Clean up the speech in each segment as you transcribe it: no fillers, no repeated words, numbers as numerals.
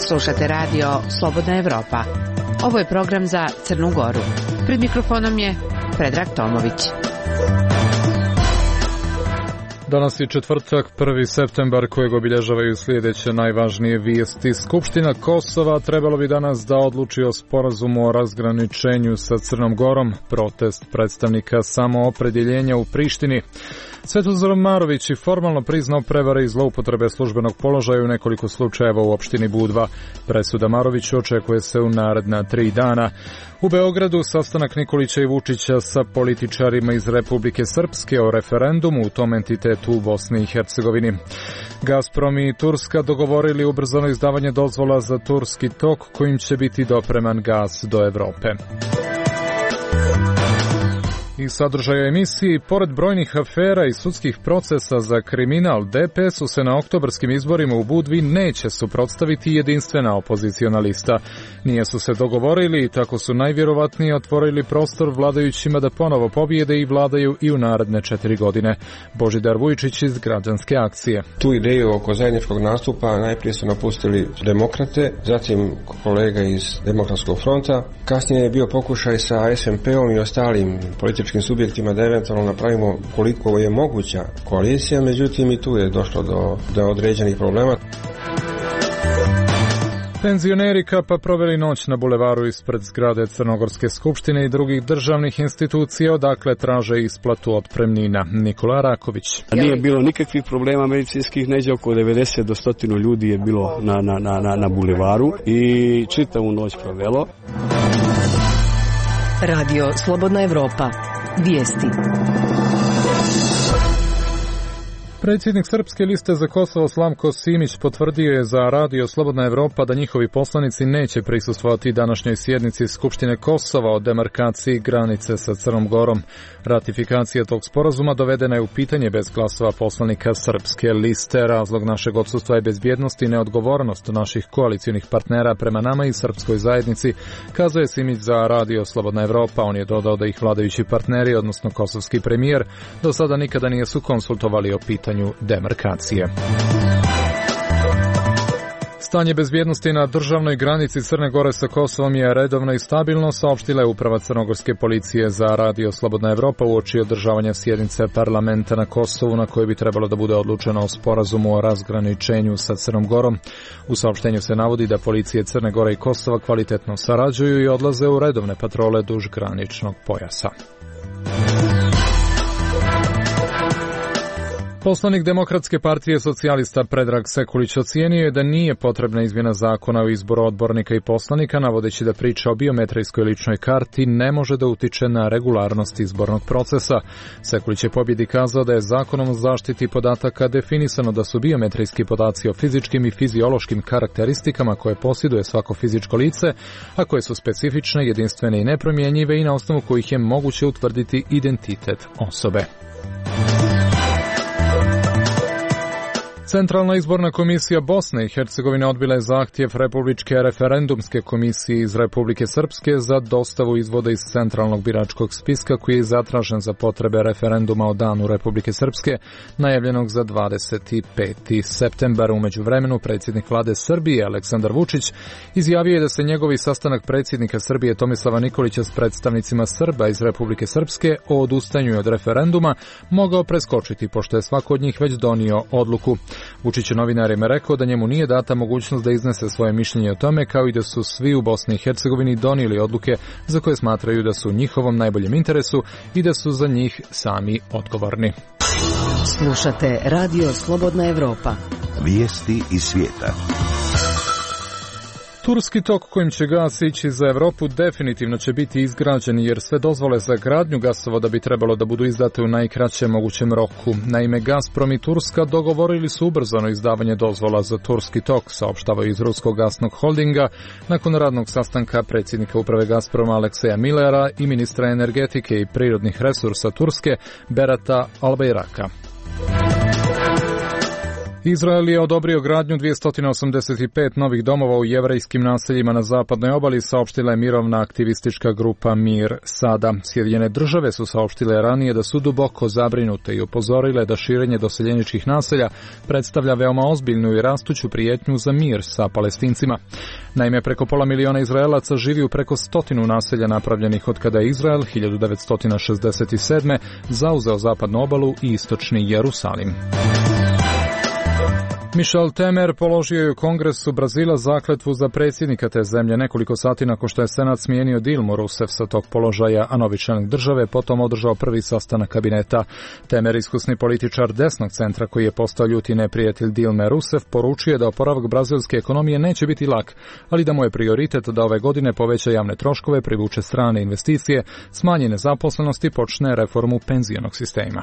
Slušate radio Slobodna Evropa. Ovo je program za Crnu Goru. Pred mikrofonom je Predrag Tomović. Danas je četvrtak, 1. septembar, kojeg obilježavaju sljedeće najvažnije vijesti. Skupština Kosova trebalo bi danas da odluči o sporazumu o razgraničenju sa Crnom Gorom, protest predstavnika samoopredjeljenja u Prištini. Svetozar Marović i formalno priznao prevare i zloupotrebe službenog položaja u nekoliko slučajeva u opštini Budva. Presuda Maroviću očekuje se u naredna 3 dana. U Beogradu sastanak Nikolića i Vučića sa političarima iz Republike Srpske o referendumu u tom entitetu u Bosni i Hercegovini. Gazprom i Turska dogovorili ubrzano izdavanje dozvola za Turski tok kojim će biti dopreman gas do Evrope. I sadržaja emisiji, pored brojnih afera i sudskih procesa za kriminal, DPS-u se na oktobarskim izborima u Budvi neće suprotstaviti jedinstvena opoziciona lista. Nije su se dogovorili i tako su najvjerovatnije otvorili prostor vladajućima da ponovo pobjede i vladaju i u naredne 4 godine. Božidar Vujčić iz Građanske akcije. Tu ideju oko zajedničkog nastupa najprije su napustili demokrate, zatim kolega iz Demokratskog fronta. Kasnije je bio pokušaj sa SMP-om i ostalim političkim subjektima da eventualno napravimo koliko je moguća koalicija, međutim i tu je došlo do određenih problema. Penzioneri Kapa proveli noć na bulevaru ispred zgrade Crnogorske skupštine i drugih državnih institucija, odakle traže isplatu otpremnina. Nikola Raković. Nije bilo nikakvih problema medicinskih, neđe oko 90 do 100 ljudi je bilo na bulevaru i čitavu noć provelo. Radio Slobodna Evropa. Vijesti. Predsjednik Srpske liste za Kosovo Slavko Simić potvrdio je za Radio Slobodna Evropa da njihovi poslanici neće prisustvovati današnjoj sjednici Skupštine Kosova o demarkaciji granice sa Crnom Gorom. Ratifikacija tog sporazuma dovedena je u pitanje bez glasova poslanika Srpske liste. Razlog našeg odsustva je bezbjednost i neodgovornost naših koalicionih partnera prema nama i srpskoj zajednici, kazuje Simić za Radio Slobodna Evropa. On je dodao da ih vladajući partneri, odnosno kosovski premijer, do sada nikada nisu konsultovali o pitanju demarkacije. Stanje bezbjednosti na državnoj granici Crne Gore sa Kosovom je redovno i stabilno, saopštila je uprava crnogorske policije za Radio Slobodna Evropa uoči održavanja sjednice parlamenta na Kosovu na kojoj bi trebalo da bude odlučeno o sporazumu o razgraničenju sa Crnom Gorom. U saopštenju se navodi da policije Crne Gore i Kosova kvalitetno sarađuju i odlaze u redovne patrole duž graničnog pojasa. Poslanik Demokratske partije socijalista Predrag Sekulić ocijenio je da nije potrebna izmjena zakona o izboru odbornika i poslanika, navodeći da priča o biometrijskoj ličnoj karti ne može da utiče na regularnost izbornog procesa. Sekulić je pobjedi kazao da je zakonom o zaštiti podataka definisano da su biometrijski podaci o fizičkim i fiziološkim karakteristikama koje posjeduje svako fizičko lice, a koje su specifične, jedinstvene i nepromjenjive i na osnovu kojih je moguće utvrditi identitet osobe. Centralna izborna komisija Bosne i Hercegovine odbila je zahtjev Republičke referendumske komisije iz Republike Srpske za dostavu izvoda iz centralnog biračkog spiska koji je zatražen za potrebe referenduma o danu Republike Srpske, najavljenog za 25. septembar. U međuvremenu predsjednik vlade Srbije Aleksandar Vučić izjavio je da se njegovi sastanak predsjednika Srbije Tomislava Nikolića s predstavnicima Srba iz Republike Srpske o odustanju od referenduma mogao preskočiti, pošto je svako od njih već donio odluku. Vučić je novinarima rekao da njemu nije data mogućnost da iznese svoje mišljenje o tome, kao i da su svi u Bosni i Hercegovini donijeli odluke za koje smatraju da su u njihovom najboljem interesu i da su za njih sami odgovorni. Slušate Radio Slobodna Evropa. Vijesti iz svijeta. Turski tok kojim će gas ići za Evropu definitivno će biti izgrađen jer sve dozvole za gradnju gasovoda bi trebalo da budu izdate u najkraćem mogućem roku. Naime, Gazprom i Turska dogovorili su ubrzano izdavanje dozvola za Turski tok, saopštavaju iz ruskog gasnog holdinga, nakon radnog sastanka predsjednika uprave Gazproma Alekseja Millera i ministra energetike i prirodnih resursa Turske Berata Albayraka. Izrael je odobrio gradnju 285 novih domova u jevrejskim naseljima na zapadnoj obali, saopštila je mirovna aktivistička grupa Mir Sada. Sjedinjene države su saopštile ranije da su duboko zabrinute i upozorile da širenje doseljeničkih naselja predstavlja veoma ozbiljnu i rastuću prijetnju za mir sa Palestincima. Naime, preko pola miliona Izraelaca živi u preko 100 naselja napravljenih od kada je Izrael 1967. zauzeo zapadnu obalu i istočni Jerusalim. Michel Temer položio je u Kongresu Brazila zakletvu za predsjednika te zemlje nekoliko sati nakon što je Senat smijenio Dilmu Rousseff sa tog položaja, a novi čelnik države potom održao prvi sastanak kabineta. Temer, iskusni političar desnog centra koji je postao ljuti neprijatelj Dilme Rousseff, poručuje da oporavak brazilske ekonomije neće biti lak, ali da mu je prioritet da ove godine poveća javne troškove, privuče strane investicije, smanji nezaposlenost i počne reformu penzionog sistema.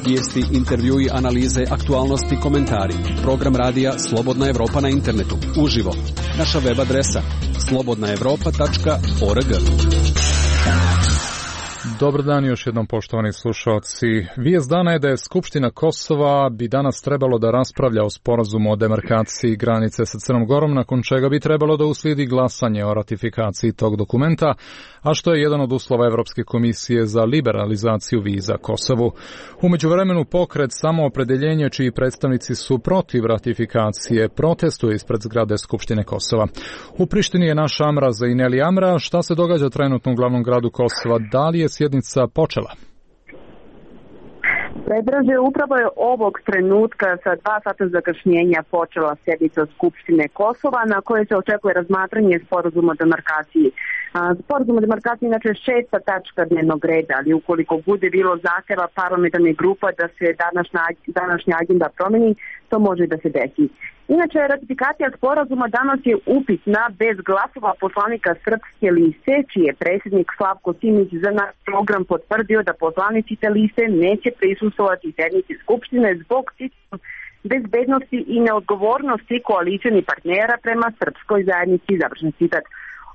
Vijesti, intervjui, analize, aktualnosti, komentari. Program radija Slobodna Evropa na internetu. Uživo. Naša web adresa slobodnaevropa.org. Dobar dan još jednom, poštovani slušalci. Vijest dana je da je Skupština Kosova bi danas trebalo da raspravlja o sporazumu o demarkaciji granice sa Crnom Gorom, nakon čega bi trebalo da uslijedi glasanje o ratifikaciji tog dokumenta, a što je jedan od uslova Evropske komisije za liberalizaciju viza Kosovu. U međuvremenu pokret Samoopredeljenje, čiji predstavnici su protiv ratifikacije, protestuje ispred zgrade Skupštine Kosova. U Prištini je naš Amra Zaineli. Amra, šta se događa trenutno u glavnom gradu Kosova? Da li je sjednica počela? Predraže, upravo je ovog trenutka sa 2 sata zakašnjenja počela sjednica Skupštine Kosova, na kojoj se očekuje razmatranje sporazuma o demarkaciji. Sporazum o demarkaciji inače je 6. tačka dnevnog reda, ali ukoliko bude bilo zahtjeva parlamentarnih grupa da se današnja agenda promeni, to može da se desi. Inače, ratifikacija sporazuma danas je upitna bez glasova poslanika Srpske liste, čiji je predsjednik Slavko Simić za naš program potvrdio da poslanici te liste neće prisustvovati sjednici Skupštine zbog bezbednosti i neodgovornosti koalicijnih partnera prema srpskoj zajednici, završen citat.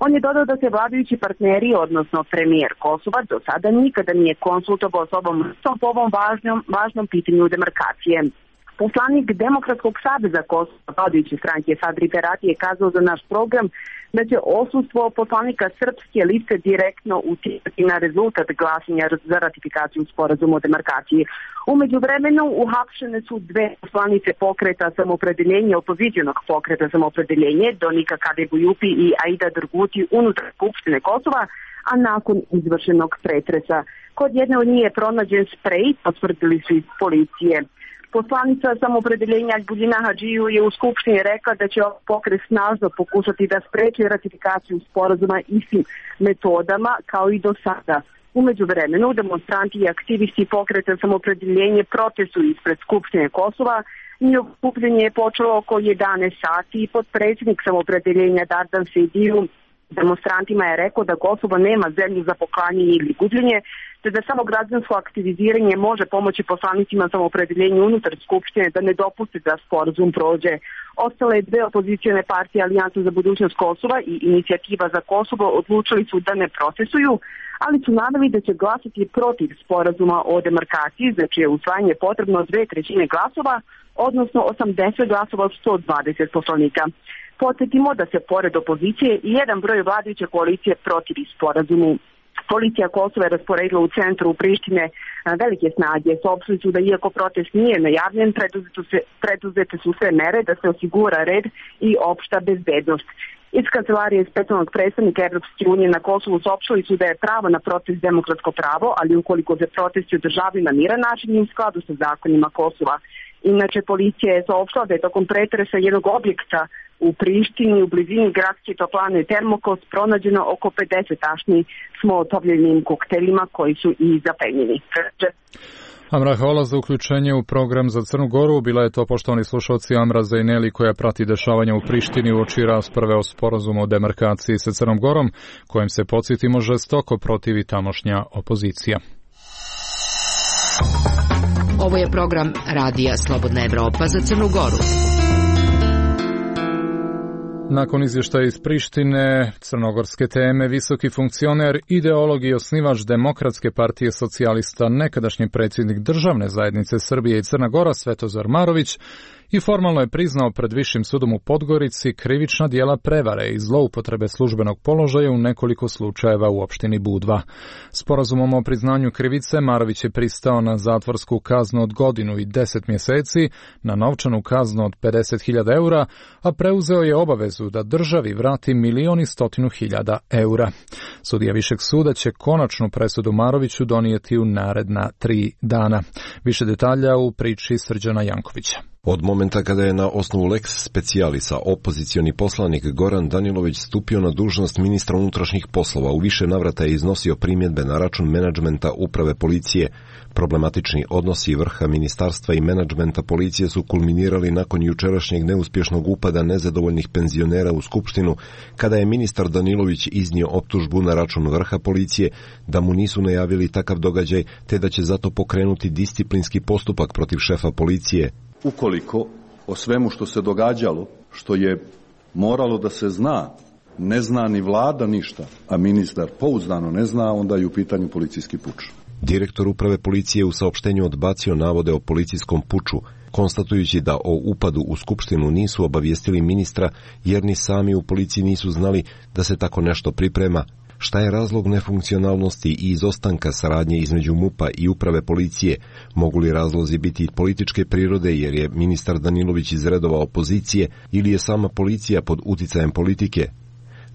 On je dodao da se vladajući partneri, odnosno premijer Kosova, do sada nikada nije konsultovao s ovom po ovom važnom pitanju demarkacije. Poslanik Demokratskog saveza Kosova, vladajuće stranke Sadri Ferati, je kazao za naš program da će odsustvo poslanika Srpske liste direktno utjecati na rezultat glasanja za ratifikaciju sporazuma o demarkaciji. U međuvremenu uhapšene su 2 poslanice pokreta Samoopredeljenje, opozicionog pokreta Samoopredeljenje, Donika Kadebujupi i Aida Drguti unutar Skupštine Kosova, a nakon izvršenog pretresa. Kod jedne od njih je pronađen sprej, potvrdili su iz policije. Poslanica Samoopredeljenja Buljina Hadžiju je u Skupštini rekla da će pokret snažno pokušati da spreči ratifikaciju sporazuma istim metodama kao i do sada. U međuvremenu demonstranti i aktivisti pokreta Samoopredeljenje protestuju ispred Skupštine Kosova. Njihovo okupljanje je počelo oko 11 sati i potpredsjednik Samoopredeljenja Dardan Sejdiu demonstrantima je rekao da Kosovo nema zemlju za poklanjanje ili gubljenje, te da samo građansko aktiviziranje može pomoći poslanicima Samoopredeljenja unutar Skupštine da ne dopuste da sporazum prođe. Ostale 2 opozicione partije, Alijansa za budućnost Kosova i Inicijativa za Kosovo, odlučili su da ne protestuju, ali su naveli da će glasati protiv sporazuma o demarkaciji, za čije usvajanje je potrebno 2/3 glasova, odnosno 80 glasova od 120 poslanika. Podsjetimo da se pored opozicije i jedan broj vladajuće koalicije protivi sporazumu. Policija Kosova je rasporedila u centru u Prištine velike snage. Saopštili su da iako protest nije najavljen, preduzete su sve mere da se osigura red i opšta bezbednost. Iz kancelarije specijalnog predstavnika Evropske unije na Kosovu saopštili su da je pravo na protest demokratsko pravo, ali ukoliko se protesti održavaju na miran način i u skladu sa zakonima Kosova. Inače, policija je saopštila da je tokom pretresa jednog objekta u Prištini u blizini gradske toplane Termokos pronađeno oko 50 tašni s molotovljenim kokteljima koji su i zaplenjeni. Amra, hvala za uključenje u program za Crnu Goru. Bila je to, poštovani slušalci, Amra Zaineli, koja prati dešavanja u Prištini uoči rasprave o sporazumu o demarkaciji sa Crnom Gorom, kojem se, podsjetimo, žestoko protivi tamošnja opozicija. Ovo je program radija Slobodna Evropa za Crnu Goru. Nakon izvještaja iz Prištine, crnogorske teme, visoki funkcioner, ideolog i osnivač Demokratske partije socijalista, nekadašnji predsjednik Državne zajednice Srbije i Crna Gora Svetozar Marović i formalno je priznao pred Višim sudom u Podgorici krivična djela prevare i zloupotrebe službenog položaja u nekoliko slučajeva u opštini Budva. Sporazumom o priznanju krivice Marović je pristao na zatvorsku kaznu od godinu i 10 mjeseci, na novčanu kaznu od 50.000 eura, a preuzeo je obavezu da državi vrati 1.100.000 eura. Sudija Višeg suda će konačnu presudu Maroviću donijeti u naredna 3 dana. Više detalja u priči Srđana Jankovića. Od momenta kada je na osnovu lex specialisa opozicioni poslanik Goran Danilović stupio na dužnost ministra unutrašnjih poslova, u više navrata je iznosio primjedbe na račun menadžmenta uprave policije. Problematični odnosi vrha ministarstva i menadžmenta policije su kulminirali nakon jučerašnjeg neuspješnog upada nezadovoljnih penzionera u Skupštinu, kada je ministar Danilović iznio optužbu na račun vrha policije da mu nisu najavili takav događaj, te da će zato pokrenuti disciplinski postupak protiv šefa policije. Ukoliko o svemu što se događalo, što je moralo da se zna, ne zna ni vlada ništa, a ministar pouzdano ne zna, onda je u pitanju policijski puč. Direktor uprave policije u saopštenju odbacio navode o policijskom puču, konstatujući da o upadu u Skupštinu nisu obavijestili ministra jer ni sami u policiji nisu znali da se tako nešto priprema. Šta je razlog nefunkcionalnosti i izostanka saradnje između MUP-a i uprave policije? Mogu li razlozi biti političke prirode jer je ministar Danilović iz redova opozicije ili je sama policija pod uticajem politike?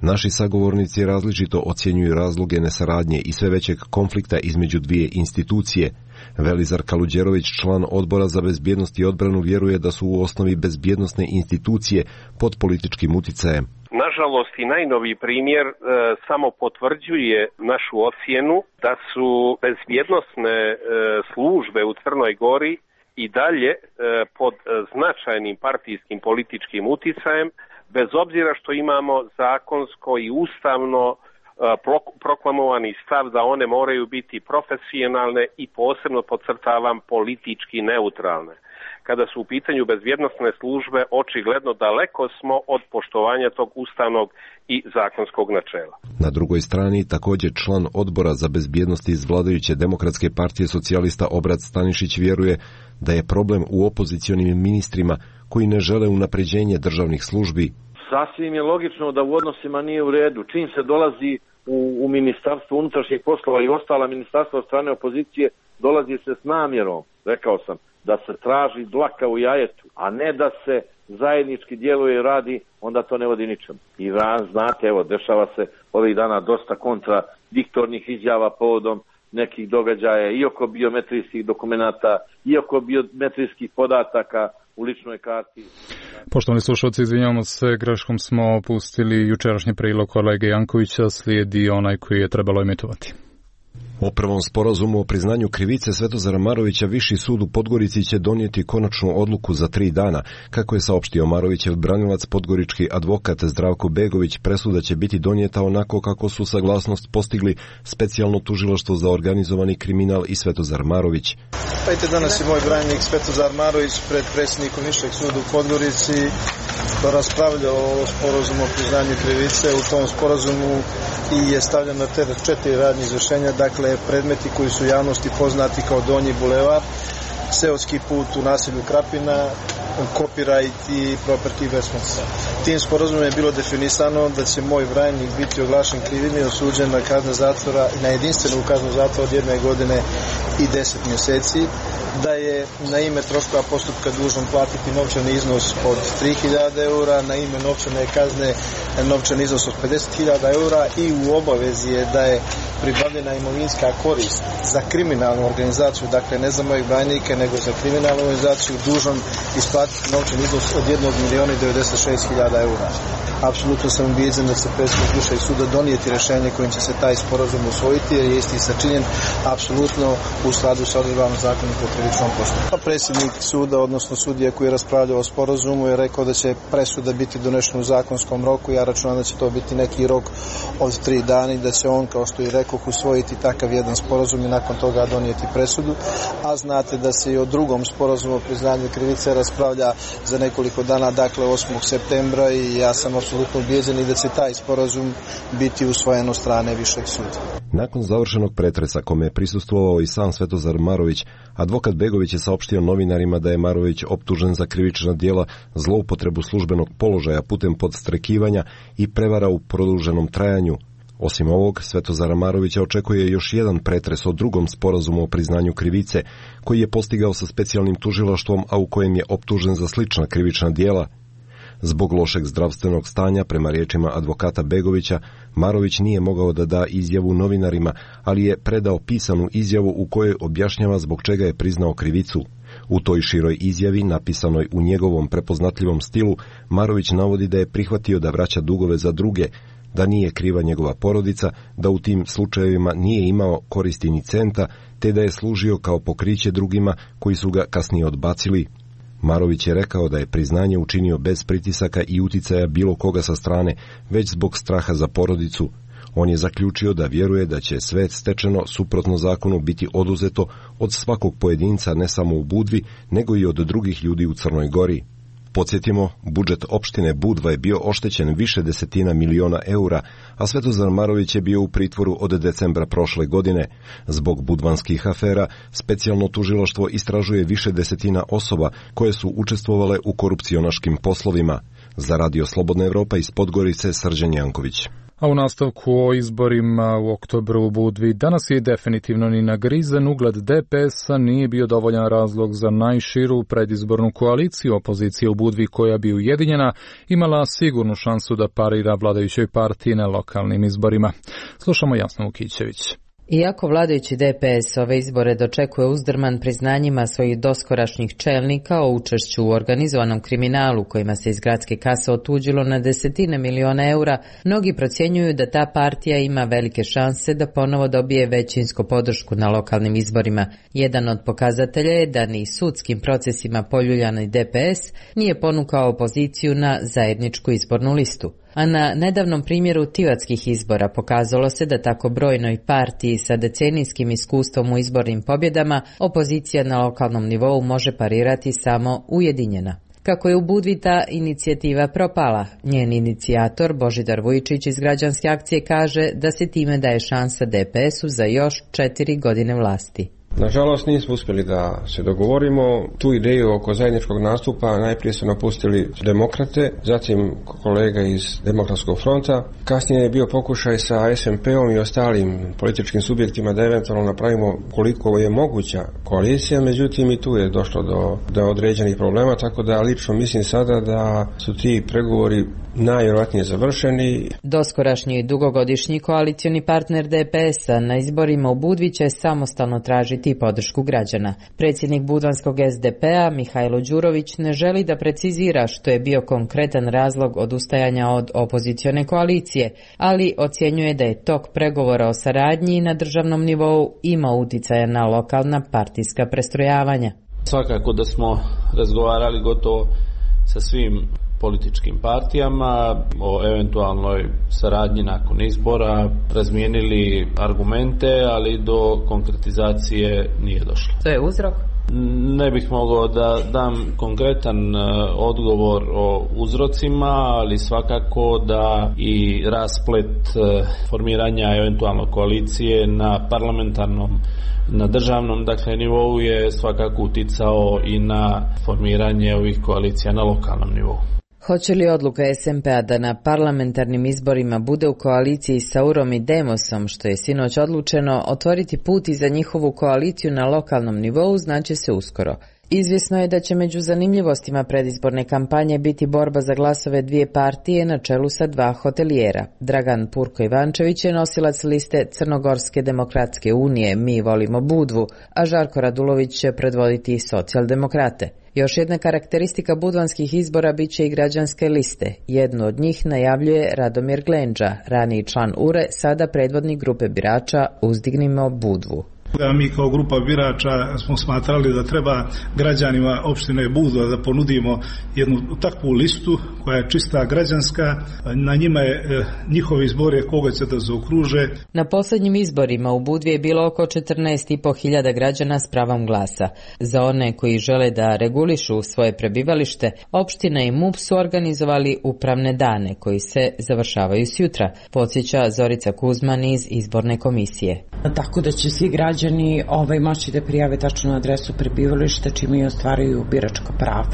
Naši sagovornici različito ocjenjuju razloge nesaradnje i sve većeg konflikta između dvije institucije. Velizar Kaluđerović, član Odbora za bezbjednost i odbranu, vjeruje da su u osnovi bezbjednosne institucije pod političkim uticajem. Nažalost i najnoviji primjer samo potvrđuje našu ocjenu da su bezbjednosne službe u Crnoj Gori i dalje pod značajnim partijskim političkim uticajem, bez obzira što imamo zakonsko i ustavno proklamovani stav da one moraju biti profesionalne i posebno podcrtavam politički neutralne. Kada su u pitanju bezbjednosne službe, očigledno daleko smo od poštovanja tog ustavnog i zakonskog načela. Na drugoj strani također član Odbora za bezbjednost iz vladajuće Demokratske partije socijalista Obrat Stanišić vjeruje da je problem u opozicionim ministrima koji ne žele unapređenje državnih službi. Sasvim je logično da u odnosima nije u redu. Čim se dolazi u Ministarstvo unutrašnjih poslova i ostala ministarstva od strane opozicije, dolazi se s namjerom, rekao sam, da se traži dlaka u jajetu, a ne da se zajednički djeluje i radi, onda to ne vodi ničemu. I znate, evo, dešava se ovih dana dosta kontradiktornih izjava povodom nekih događaja i oko biometrijskih dokumenata, i oko biometrijskih podataka u ličnoj karti. Poštovani slušalci, izvinjavamo se, greškom smo opustili jučerašnji prilog kolege Jankovića, slijedi onaj koji je trebalo emitovati. O prvom sporazumu o priznanju krivice Svetozara Marovića Viši sud u Podgorici će donijeti konačnu odluku za 3 dana. Kako je saopštio Marovićev branilac, podgorički advokat Zdravko Begović, presuda će biti donijeta onako kako su saglasnost postigli Specijalno tužilaštvo za organizovani kriminal i Svetozar Marović. Danas je moj branik Svetozar Marović pred predsjednikom Višeg suda u Podgorici raspravljao o sporazumu o priznanju krivice. U tom sporazumu i je stavljeno na teret 4 radnje izvršenja, dakle predmeti koji su javnosti poznati kao Donji bulevar, seoski put u naselju Krapina, copyright i property investments. Tim sporazumom je bilo definisano da će moj branjenik biti oglašen krivim i osuđen na kaznu zatvora, na jedinstvenu kaznu zatvora od 1 godine i 10 mjeseci, da je na ime troškova postupka dužan platiti novčani iznos od 3.000 eura, na ime novčane kazne novčani iznos od 50.000 eura i u obavezi je da je pribavljena imovinska korist za kriminalnu organizaciju, dakle ne za mojeg branjenika nego za kriminalnu organizaciju, dužan isplatiti novčani iznos od 1.096.000 eura. Apsolutno sam ubijeđen da se predsjednik Višeg suda donijeti rješenje kojim će se taj sporazum usvojiti, jer je isti sačinjen apsolutno u skladu sa odredbama Zakonika o krivičnom postupku. Predsjednik suda, odnosno sudija koji je raspravljao o sporazumu, je rekao da će presuda biti donešena u zakonskom roku. Ja računam da će to biti neki rok od 3 dana i da će on, kao što i rekao, usvojiti takav jedan sporazum i nakon toga donijeti presudu. A znate da se se i o drugom sporazumu o priznanju krivice raspravlja za nekoliko dana, dakle 8. septembra, i ja sam apsolutno ubijeđen da će taj sporazum biti usvojen od strane Višeg suda. Nakon završenog pretresa, kome je prisustvovao i sam Svetozar Marović, advokat Begović je saopštio novinarima da je Marović optužen za krivična djela, zloupotrebu službenog položaja putem podstrekivanja i prevara u produženom trajanju. Osim ovog, Svetozara Marovića očekuje još jedan pretres o drugom sporazumu o priznanju krivice, koji je postigao sa specijalnim tužilaštvom, a u kojem je optužen za slična krivična djela. Zbog lošeg zdravstvenog stanja, prema riječima advokata Begovića, Marović nije mogao da da izjavu novinarima, ali je predao pisanu izjavu u kojoj objašnjava zbog čega je priznao krivicu. U toj široj izjavi, napisanoj u njegovom prepoznatljivom stilu, Marović navodi da je prihvatio da vraća dugove za druge, da nije kriva njegova porodica, da u tim slučajevima nije imao koristi ni centa, te da je služio kao pokriće drugima koji su ga kasnije odbacili. Marović je rekao da je priznanje učinio bez pritisaka i uticaja bilo koga sa strane, već zbog straha za porodicu. On je zaključio da vjeruje da će sve stečeno suprotno zakonu biti oduzeto od svakog pojedinca, ne samo u Budvi, nego i od drugih ljudi u Crnoj Gori. Podsjetimo, budžet opštine Budva je bio oštećen više desetina miliona eura, a Svetozar Marović je bio u pritvoru od decembra prošle godine. Zbog budvanskih afera, specijalno tužilaštvo istražuje više desetina osoba koje su učestvovale u korupcionaškim poslovima. Za Radio Slobodna Evropa iz Podgorice, Srđan Janković. A u nastavku o izborima u oktobru u Budvi danas je definitivno ni nagrizen ugled DPS-a nije bio dovoljan razlog za najširu predizbornu koaliciju opozicije u Budvi koja bi ujedinjena imala sigurnu šansu da parira vladajućoj partiji na lokalnim izborima. Slušamo Jasnu Vukićević. Iako vladajući DPS ove izbore dočekuje uzdrman priznanjima svojih doskorašnjih čelnika o učešću u organizovanom kriminalu kojima se iz gradske kase otuđilo na desetine miliona eura, mnogi procjenjuju da ta partija ima velike šanse da ponovo dobije većinsku podršku na lokalnim izborima. Jedan od pokazatelja je da ni sudskim procesima poljuljani DPS nije ponukao opoziciju na zajedničku izbornu listu. A na nedavnom primjeru tivatskih izbora pokazalo se da tako brojnoj partiji sa decenijskim iskustvom u izbornim pobjedama opozicija na lokalnom nivou može parirati samo ujedinjena. Kako je u Budvi ta inicijativa propala, njen inicijator Božidar Vujičić iz građanske akcije kaže da se time daje šansa DPS-u za još 4 godine vlasti. Nažalost nismo uspjeli da se dogovorimo. Tu ideju oko zajedničkog nastupa najprije su napustili demokrate, zatim kolega iz Demokratskog fronta. Kasnije je bio pokušaj sa SMP-om i ostalim političkim subjektima da eventualno napravimo koliko je moguća koalicija, međutim i tu je došlo do određenih problema, tako da lično mislim sada da su ti pregovori najvjerojatnije završeni. Doskorašnji dugogodišnji koalicioni partner DPS-a na izborima u Budvi će samostalno tražiti podršku građana. Predsjednik budvanskog SDP-a Mihajlo Đurović ne želi da precizira što je bio konkretan razlog odustajanja od opozicione koalicije, ali ocjenjuje da je tok pregovora o saradnji na državnom nivou imao uticaja na lokalna partijska prestrojavanja. Svakako da smo razgovarali gotovo sa svim političkim partijama o eventualnoj saradnji nakon izbora, razmijenili argumente, ali do konkretizacije nije došlo. To je uzrok? Ne bih mogao da dam konkretan odgovor o uzrocima, ali svakako da i rasplet formiranja eventualno koalicije na parlamentarnom, na državnom nivou je svakako uticao i na formiranje ovih koalicija na lokalnom nivou. Hoće li odluka SMP-a da na parlamentarnim izborima bude u koaliciji sa URom i Demosom, što je sinoć odlučeno, otvoriti put i za njihovu koaliciju na lokalnom nivou, znaće se uskoro. Izvjesno je da će među zanimljivostima predizborne kampanje biti borba za glasove dvije partije na čelu sa 2 hotelijera. Dragan Purko Ivančević je nosilac liste Crnogorske demokratske unije Mi volimo Budvu, a Žarko Radulović će predvoditi socijaldemokrate. Još jedna karakteristika budvanskih izbora bit će i građanske liste. Jednu od njih najavljuje Radomir Glenđa, raniji član URE, sada predvodnik grupe birača Uzdignimo Budvu. Mi kao grupa birača smo smatrali da treba građanima opštine Budva da ponudimo jednu takvu listu koja je čista građanska. Na njima je njihov izbor je koga će da zaokruže. Na posljednjim izborima u Budvi je bilo oko 14.500 građana s pravom glasa. Za one koji žele da regulišu svoje prebivalište, opština i MUP su organizovali upravne dane koji se završavaju sjutra, podsjeća Zorica Kuzman iz izborne komisije. Tako da će svi građani moći da prijave tačnu adresu prebivališta čime i ostvaruju biračko pravo.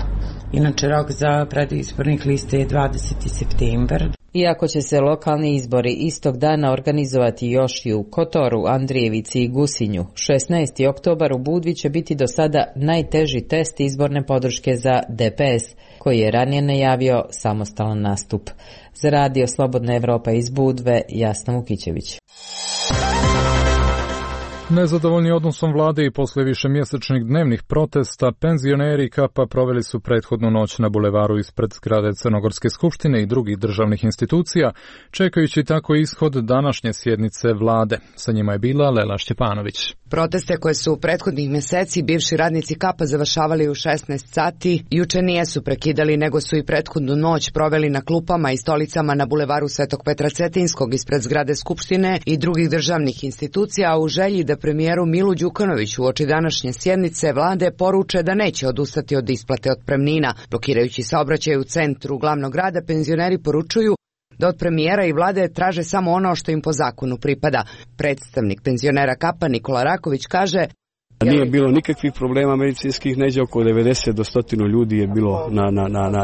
Inače, rok za predaju izbornih lista je 20. septembar. Iako će se lokalni izbori istog dana organizovati još i u Kotoru, Andrijevici i Gusinju, 16. oktobar u Budvi će biti do sada najteži test izborne podrške za DPS, koji je ranije najavio samostalan nastup. Za Radio Slobodna Evropa iz Budve, Jasna Vukićević. Nezadovoljni odnosom vlade i posle višemjesečnih dnevnih protesta, penzioneri Kapa proveli su prethodnu noć na bulevaru ispred zgrade Crnogorske skupštine i drugih državnih institucija, čekajući tako ishod današnje sjednice vlade. Sa njima je bila Lela Šćepanović. Proteste koje su u prethodnih mjeseci bivši radnici Kapa završavali u 16 sati, juče nijesu prekidali, nego su i prethodnu noć proveli na klupama i stolicama na bulevaru Svetog Petra Cetinskog ispred zgrade Skupštine i drugih državnih institucija, a u želji da premijeru Milu Đukanoviću uoči današnje sjednice vlade poruče da neće odustati od isplate otpremnina. Blokirajući saobraćaj u centru glavnog grada, penzioneri poručuju da od premijera i vlade traže samo ono što im po zakonu pripada. Predstavnik penzionera Kapa Nikola Raković kaže: Nije bilo nikakvih problema medicinskih, neđe oko 90 do 100 ljudi je bilo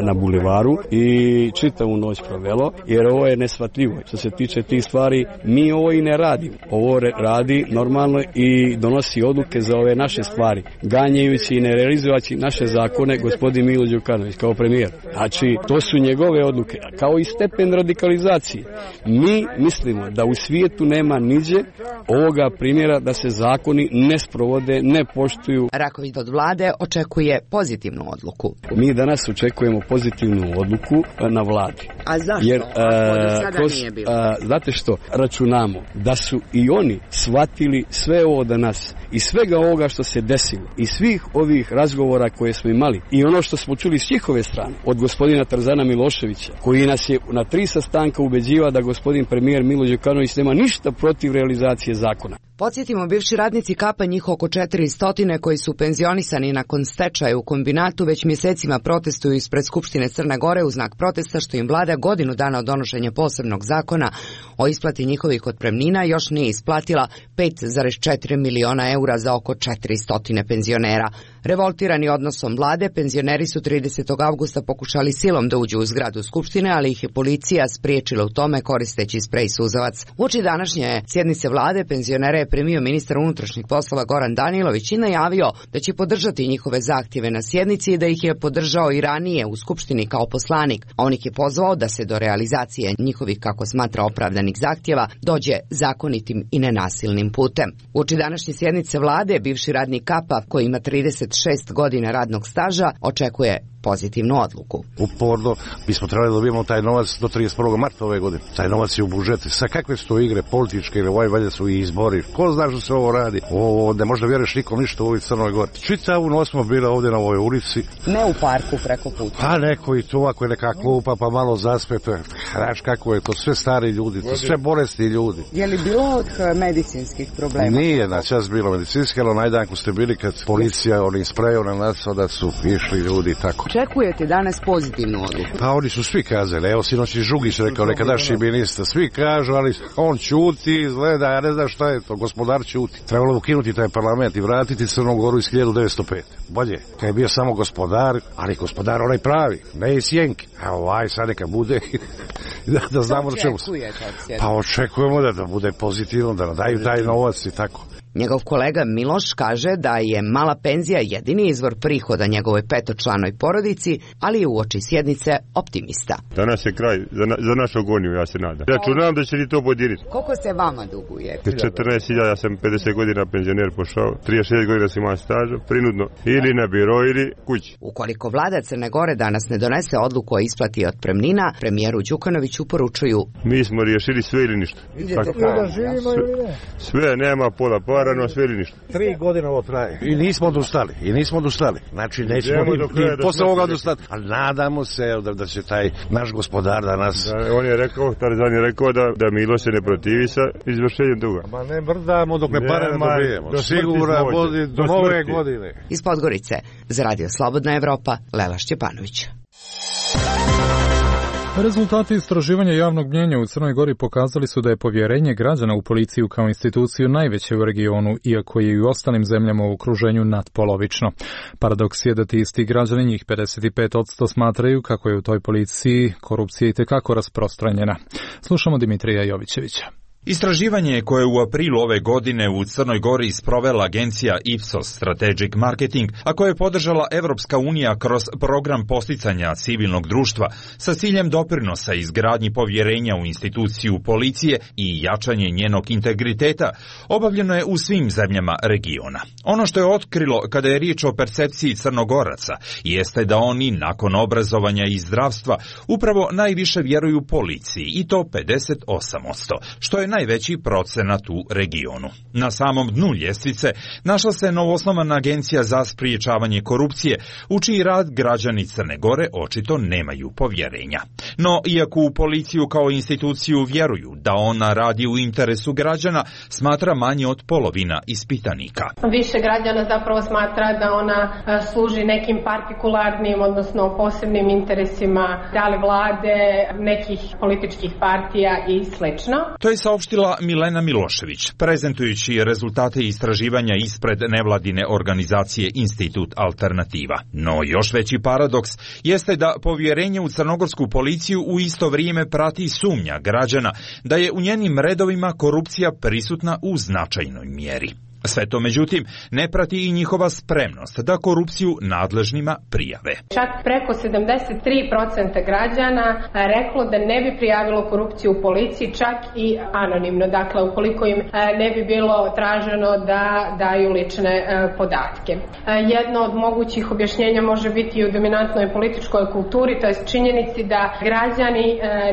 na bulevaru i čitavu noć provelo, jer ovo je neshvatljivo. Što se tiče tih stvari, mi ovo i ne radimo. Ovo radi normalno i donosi odluke za ove naše stvari, ganjajući i ne realizujući naše zakone gospodin Milo Đukanović kao premijer. Znači, to su njegove odluke, kao i stepen radikalizacije. Mi mislimo da u svijetu nema niđe ovoga primjera da se zakoni ne sprovode, ne poštuju. Raković od vlade očekuje pozitivnu odluku. Mi danas očekujemo pozitivnu odluku na vladi. A zašto? Jer, nije bilo. Znate što, računamo da su i oni shvatili sve ovo danas i svega ovoga što se desilo i svih ovih razgovora koje smo imali i ono što smo čuli s njihove strane od gospodina Tarzana Miloševića, koji nas je na 3 sastanka ubeđiva da gospodin premijer Milo Đukanović nema ništa protiv realizacije zakona. Podsjetimo, bivši radnici Kapa, njih oko 400 koji su penzionisani nakon stečaja u kombinatu, već mjesecima protestuju ispred Skupštine Crne Gore u znak protesta što im vlada godinu dana od donošenja posebnog zakona o isplati njihovih otpremnina još nije isplatila 5,4 miliona eura za oko 400 penzionera. Revoltirani odnosom vlade, penzioneri su 30. avgusta pokušali silom da uđu u zgradu Skupštine, ali ih je policija spriječila u tome koristeći sprej suzavac. Uoči današnje sjednice vlade penzionere je primio ministar unutrašnjih poslova Goran Danilović i najavio da će podržati njihove zahtjeve na sjednici i da ih je podržao i ranije u Skupštini kao poslanik. On ih je pozvao da se do realizacije njihovih, kako smatra, opravdanih zahtjeva dođe zakonitim i nenasilnim putem. Uoči današnje sjednice vlade, bivši radnik Kapa, koji ima 36 godina radnog staža, očekuje pozitivnu odluku. Uporno bismo trebali da dobijemo taj novac do 31. marta ove godine. Taj novac je u budžetu. Sa kakve su to igre političke ili valjda su i izbori? Ko zna što se ovo radi? Ovo ne možda vjeruješ nikom ništa u ovoj Crnoj Gori. Čitavu noć smo bili ovdje na ovoj ulici. Ne u parku preko puta. Pa neko i to, ako je neka klupa pa malo zaspe. Znaš kako je to, sve stari ljudi, to sve bolesni ljudi. Je li bilo medicinskih problema? Nije na čas bilo medicinski, ali onaj dan ko ste bili kad policija onim sprejom na nas, da su išli ljudi tako. Očekujete danas pozitivnu odluku? Pa oni su svi kazali, evo sinoć i Žugić rekao, nekadašnji ministar, svi kažu, ali on ćuti, izgleda, ja ne znam šta je to, gospodar ćuti. Trebalo ukinuti taj parlament i vratiti Crnu Goru iz 1905. Bolje, kad je bio samo gospodar, ali gospodar onaj pravi, ne iz Sjenke. A ovaj sad neka bude, da znamo na čemu se. Pa očekujemo da bude pozitivno, da nam daju taj novac i tako. Njegov kolega Miloš kaže da je mala penzija jedini izvor prihoda njegovoj petočlanoj porodici, ali je uoči sjednice optimista. Danas je kraj za našu agoniju, ja se nadam. Ja računam da će li to podiriti. Koliko se vama duguje? 14.000, ja sam 50 godina penzioner pošao, 36 godina sam imao staža, prinudno, ili na biro ili kući. Ukoliko vlada Crne Gore danas ne donese odluku o isplati otpremnina, premijeru Đukanoviću poručuju: mi smo riješili sve ili ništa. Vidite kako da živimo ili ne? Sve, nema pola para, rano osveli ništa. 3 godine ovo traje. I nismo odustali. Znači, nećemo ni posle ovoga odustati. Ali nadamo se da će taj naš gospodar danas... On je rekao, Tarzan je rekao da Milo se ne protivi sa izvršenjem duga. Ma ne mrdamo dok ne pare ne dobijemo. Sigura vodi do nove godine. Iz Podgorice, za Radio Slobodna Evropa, Lela Šćepanović. Rezultati istraživanja javnog mnjenja u Crnoj Gori pokazali su da je povjerenje građana u policiju kao instituciju najveće u regionu, iako je i u ostalim zemljama u okruženju nadpolovično. Paradoks je da ti isti građani, njih 55%, smatraju kako je u toj policiji korupcija itekako rasprostranjena. Slušamo Dimitrija Jovićevića. Istraživanje koje je u aprilu ove godine u Crnoj Gori sprovela agencija Ipsos Strategic Marketing, a koje je podržala Evropska unija kroz program posticanja civilnog društva sa ciljem doprinosa izgradnji povjerenja u instituciju policije i jačanje njenog integriteta, obavljeno je u svim zemljama regiona. Ono što je otkrilo kada je riječ o percepciji Crnogoraca jeste da oni nakon obrazovanja i zdravstva upravo najviše vjeruju policiji, i to 58%, što je najveći procenat u regionu. Na samom dnu ljestvice našla se novoosnovana agencija za spriječavanje korupcije, u čiji rad građani Crne Gore očito nemaju povjerenja. No, iako u policiju kao instituciju vjeruju da ona radi u interesu građana, smatra manje od polovina ispitanika. Više građana zapravo smatra da ona služi nekim partikularnim, odnosno posebnim interesima, da li vlade, nekih političkih partija i slično. To je saopštila Milena Milošević, prezentujući rezultate istraživanja ispred nevladine organizacije Institut Alternativa. No još veći paradoks jeste da povjerenje u crnogorsku policiju u isto vrijeme prati sumnja građana da je u njenim redovima korupcija prisutna u značajnoj mjeri. Sve to, međutim, ne prati i njihova spremnost da korupciju nadležnima prijave. Čak preko 73% građana reklo da ne bi prijavilo korupciju u policiji, čak i anonimno. Dakle, ukoliko im ne bi bilo traženo da daju lične podatke. Jedno od mogućih objašnjenja može biti i u dominantnoj političkoj kulturi, to je činjenici da građani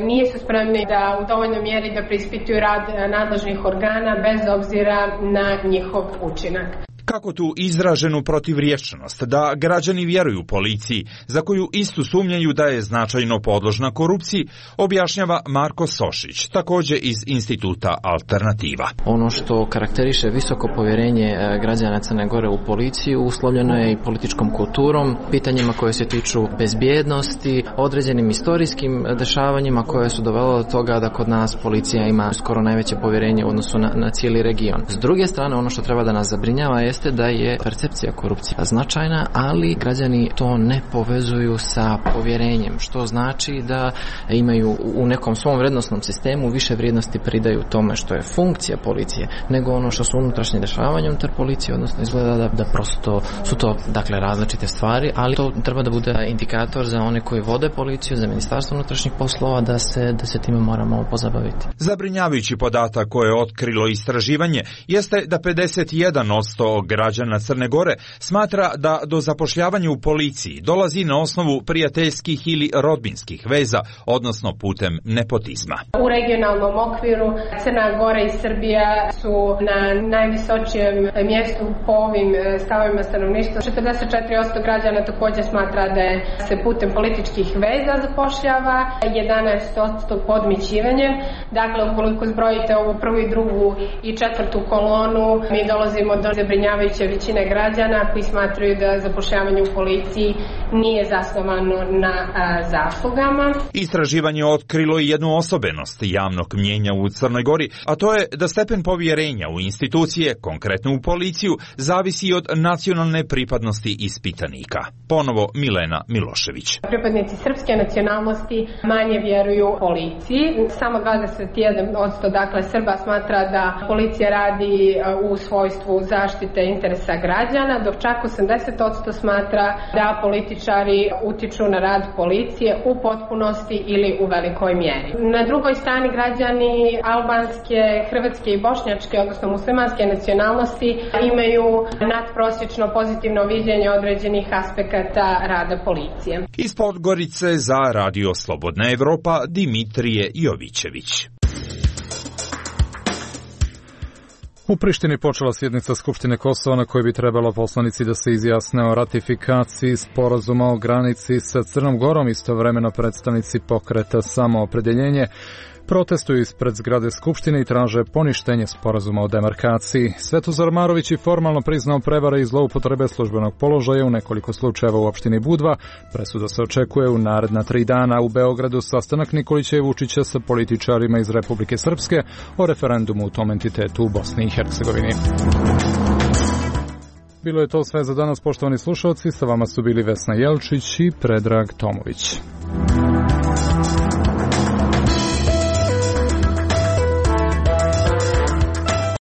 nisu spremni da u dovoljnoj mjeri da preispituju rad nadležnih organa bez obzira na njihov učinak. Kako tu izraženu protivriječnost da građani vjeruju policiji, za koju istu sumnjaju da je značajno podložna korupciji, objašnjava Marko Sošić, također iz Instituta Alternativa. Ono što karakteriše visoko povjerenje građana Crne Gore u policiju uslovljeno je i političkom kulturom, pitanjima koje se tiču bezbjednosti, određenim istorijskim dešavanjima koje su dovelo do toga da kod nas policija ima skoro najveće povjerenje u odnosu na cijeli region. S druge strane, ono što treba da nas zabrinjava jeste da je percepcija korupcije značajna, ali građani to ne povezuju sa povjerenjem, što znači da imaju u nekom svom vrednostnom sistemu više vrijednosti pridaju tome što je funkcija policije, nego ono što su unutrašnje dešavanja unutar policije, odnosno izgleda da prosto su to dakle različite stvari, ali to treba da bude indikator za one koji vode policiju, za Ministarstvo unutrašnjih poslova, da se time moramo pozabaviti. Zabrinjavajući podatak koje je otkrilo istraživanje jeste da 51% građana Crne Gore smatra da do zapošljavanja u policiji dolazi na osnovu prijateljskih ili rodbinskih veza, odnosno putem nepotizma. U regionalnom okviru Crna Gora i Srbija su na najvisočijem mjestu po ovim stavovima stanovništva. 44% građana također smatra da se putem političkih veza zapošljava, 11% podmićivanjem. Dakle, ukoliko zbrojite ovu prvu i drugu i četvrtu kolonu, mi dolazimo do zabrinjavajuće većine građana koji smatraju da zapošljavanje u policiji nije zasnovano na zaslugama. Istraživanje je otkrilo i jednu osobenost javnog mnjenja u Crnoj Gori, a to je da stepen povjerenja u institucije, konkretno u policiju, zavisi od nacionalne pripadnosti ispitanika. Ponovo Milena Milošević. Pripadnici srpske nacionalnosti manje vjeruju policiji. Samo 21% dakle Srba smatra da policija radi u svojstvu zaštite interesa građana, dok čak 80% smatra da političari utiču na rad policije u potpunosti ili u velikoj mjeri. Na drugoj strani građani albanske, hrvatske i bošnjačke, odnosno muslimanske nacionalnosti imaju nadprosječno pozitivno viđenje određenih aspekata rada policije. Iz Podgorice za Radio Slobodna Evropa, Dimitrije Jovićević. U Prištini počela sjednica Skupštine Kosova na kojoj bi trebalo poslanici da se izjasne o ratifikaciji sporazuma o granici sa Crnom Gorom, istovremeno predstavnici pokreta Samoopredjeljenje protestuju ispred zgrade Skupštine i traže poništenje sporazuma o demarkaciji. Svetozar Marović je formalno priznao prevare i zloupotrebe službenog položaja u nekoliko slučajeva u opštini Budva. Presuda se očekuje u naredna 3 dana. U Beogradu sastanak Nikolića i Vučića sa političarima iz Republike Srpske o referendumu u tom entitetu u Bosni i Hercegovini. Bilo je to sve za danas, poštovani slušalci. Sa vama su bili Vesna Jelčić i Predrag Tomović.